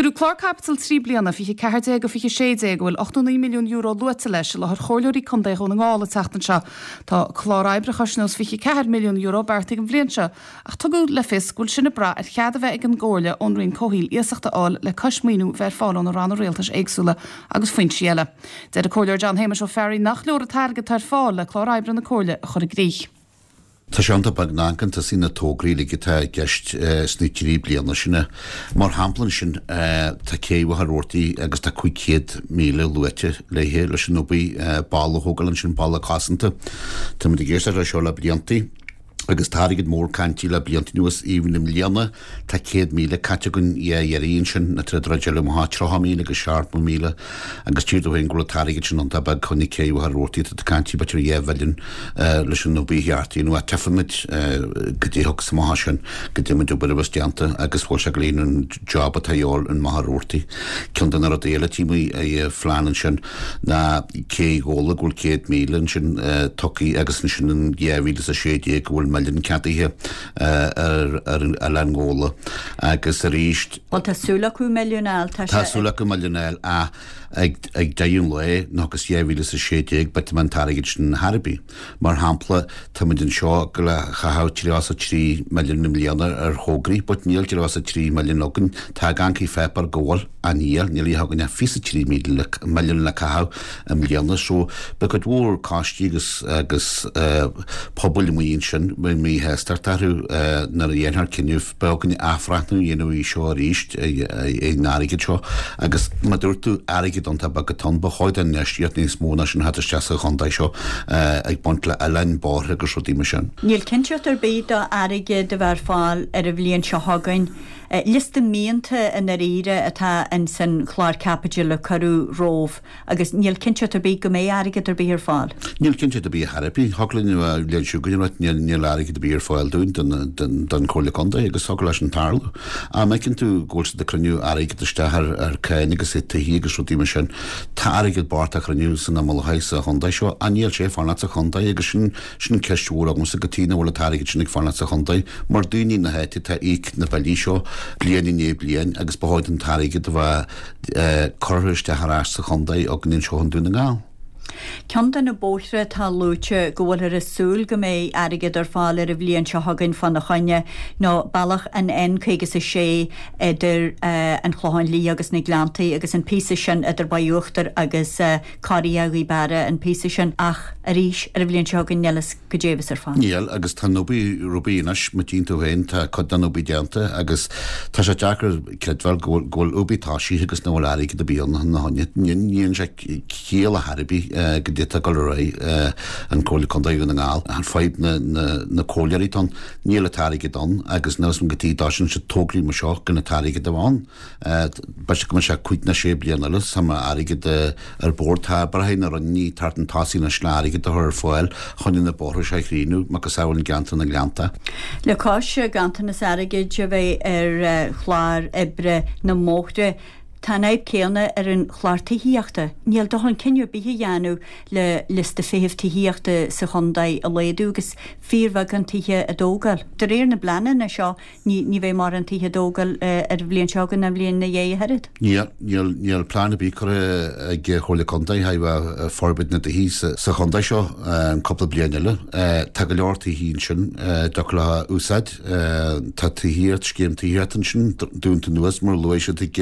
Cuireadh clár caipitil 3 bliana, 24-16, a bhfuil €89 milliún luaite leis, i láthair Chomhairleoirí Contae Dhún na nGall an tseachtain seo. Tá clár oibre cois nós €24 milliún beartaithe don bhliain seo, ach tugadh le fios go bhfuil sin ag brath ar chead a bheith ag an gComhairle ón Roinn Comhshaoil iasacht a fháil le cois maoiniú bheith ar fáil ó na ranna rialtais éagsúla agus foinsí eile. Deir an Comhairleoir John Shéamais Ó Fearraigh nach leor an t-airgead atá ar fáil le clár oibre na Comhairle a chur i gcrích. Tá sé iontach beag má amharcann tusa na tograí uilig atá i gceist sna 3 bliana sin. Mar shampla ansin tá cé Mhachaire Rabhartaigh agus tá 500,000 luaite léithe leis an obair balla a thógáil ansin, balla cosanta. Táimid ag éisteacht leis seo le bliantaí. Agus tá airgead mór cainte le blianta anuas, even i mbliana tá 100,000 caite againn dhá iarraidh ansin, na troid troid eile amach 30,000 agus 70,000 agus tchítear domh féin go bhfuil an t-airgead sin iontach beag chun na cé Mhachaire Rabhartaigh atá cainte b'fhéidir 2 mhilliún leis an obair cheart a dhéanamh ach tchífimid goidé a thiocfas amach as sin, goidé an méid obair a bheas déanta agus bhfuil sé ag líonadh an job atá a dhíobháil in Machaire Rabhartaigh. Ceann de na rudaí eile tchímid i phlean ansin. ná Cé Ghabhla go bhfuil 100,000 ansin tugtha agus ansin in 2016 go bhfuil milliún ceadaithe ar Oileán Ghabhla agus arís. Bhuel tá súil acu milliún a fháil, tá sé. Tá súil acu milliún a fháil ach ag deireadh an lae nó agus 2016 b'fhéidir an t-airgead sin ar chor ar bith. Mar shampla táimid anseo ag gabháil a chaitheamh 33 milliún i mbliana ar thograí but níl 33 milliún againn, tá ag amharc ar pháipéar go bhfuil. Ach níl, níl a dhath againn ach 23 milliún le caitheamh i mbliana so beidh cuid mhór coistí agus agus pobail amuigh ansin beidh míshástacht orthu nuair a dhéanfar cinneadh beidh againn athbhreathnú a dhéanamh air seo arís ar an airgead seo agus mar dúirt tú airgead iontach beag atá ann ba chóir don infheistíocht níos mó ná sin a theacht isteach sa chontae seo ag baint le oileáin, bóithre agus rudaí mar sin. Níl cinnteacht ar bith do airgead a bheith ar fáil ar an bhliain seo chugainn. Liosta mianta i ndáiríre atá ins an chlár caipitil a cuireadh romhaibh agus níl cinnteacht ar bith go mbeidh airgead ar bith ar fáil. Níl cinnteacht ar bith ar chor ar bith. Thiocfadh linn an bhliain seo chugainn a ráit níl níl airgead ar bith ar fáil dúinn don don don Chomhairle Contae agus thiocfadh leis sin tarlú. Ach má fheiceann tú go bhfuil siad ag cruinniú airgead isteach ar ar cáin agus ar tithe agus rudaí mar sin, tá airgead bocht á chruinniú san imeall sa chontae seo ach níl sé ag fanacht sa chontae agus sin Sin ceist mhór agamsa cad chuige nach bhfuil an t-airgead sin ag fanacht sa chontae, mar daoine na háite atá ag íoc na billí seo bliain i ndiaidh bliain agus ba chóir don t-airgead a bheith curtha isteach ar ais sa chontae againn anseo i nDún na nGall. Ceann de na bóithre atá luaite go bhfuilthear ag súil go mbeidh airgead ar fáil ar an bhliain seo chugainn fána choinne ná bealach an N56 idir an Clochán Liath agus na Gleanntaí agus an píosa sin idir Baile Uachtair agus Corria Ghaoth Beara an píosa sin ach arís ar an bhliain seo chugainn níl fhios goidé a bheas ar fáil. Níl, agus tá an obair obair anois, má tchíonn tú féin, tá cuid den obair déanta agus tá sé deacair creidbheáil go bhfuil go bhfuil obair tosaithe agus nach bhfuil airgead ar bith ann ina choinne. Ní níonn sé ciall ar chor ar bith goidé atá ag dul ar aghaidh an Comhairle Contae Dhún na nGall. An fadhb na na na comhairleoirí atá ann, níl an t-airgead ann agus níl fhios agam cad chuige a dtosaíonn siad tograí mar seo gan an t-airgead a bheith ann. B'fhéidir go mbeidh sé cúig nó sé bliana eile sula mbeidh airgead ar bord. Tá oibrithe na Roinne thart an tosaigh anois le airgead a chur ar fáil chun na bóithre seo a chríochnú, macasamhail i gceantar na nGleannta. Le cois ganntanas airgid a bheith ar chlár oibre na mbóithre, tá an fhadhb céanna ar an chlár tithíochta. Níl dóthain cinneadh ar bith a dhéanamh le liosta feithimh tithíochta sa chontae a laghdú agus fíorbheagán tithe á dtógáil. De réir na bpleananna seo, Ní, ní bheidh mórán tithe á dtógáil ar an bhliain seo chugainn ná an bhliain ina dhiaidh ach oiread. Níl, níl, níl plean ar bith curtha ag Comhairle Contae le haghaidh forbairt na dtithe sa chontae seo an cúpla bliain eile. Tá go leor tithe ansin a dtiocfadh leo a úsáid. Tá tithíocht, scéim tithíochta ansin dúnta anuas mar a luaigh siad ag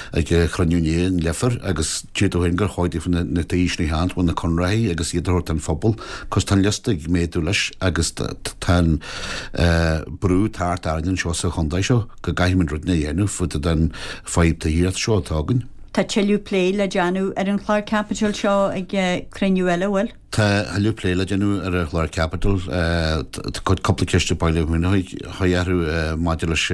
ag cruinniú inné in Leifear agus deir tú féin gur chóir daofa na tithe sin a cheannacht, bhfuil na conraitheoirí agus iad a thabhairt don phobal 'cause tá an liosta ag méadú leis agus tá an brú ag teacht orainn anseo sa chontae seo go gcaithfimid rud a dhéanamh fá dtaobh den fadhb tithíochta seo atá againn. Tá tuilleadh plé le déanamh ar an chlár caipitil seo ag cruinniú eile, an bhfuil? Tá tuilleadh plé le déanamh ar an chlár caipitil. Tá cúpla ceist ag baile Mhuirtheoidh orthu maidir leis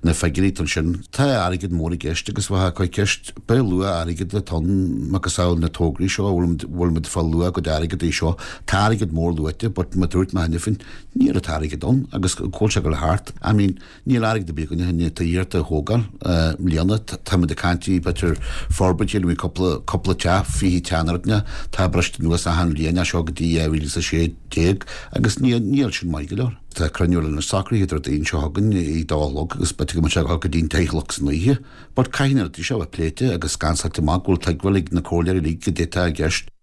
na figiúirí atá ansin. Tá airgead mór i gceist agus bheadh cuid ceist Pé luach airgid atá ann, macasamhail na tograí seo, an bhfuil muid ag fáil luach ár gcuid airgid é seo. Tá airgead mór luaite but mar a dúirt mé cheana féin, níl an t-airgead ann agus cá bhfuil sé ag dul thart. I mean, níl airgead ar bith againne chun na tithíochta a thógáil i mbliana. Táimid ag caint b'fhéidir forbairt a dhéanamh cúpla, cúpla teach, 20 teach nó rud inteacht, tá briste anuas achan bhliain. bhliain as seo go dtí 2016 agus níl sin maith go leor. Tá cruinniú eile anois socraithe Déardaoin seo chugainn ag dó a chlog agus b'fhéidir go mbeidh sé ag dul go dtí an deich a chlog san oíche. But caithfidh na rudaí seo a bheith pléite agus scansáilte amach go bhfuil tuigbheáil ag na comhairleoirí uilig goidé atá i gceist.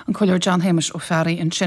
An Comhairleoir John Shéamuis Ó Fearraigh ansin.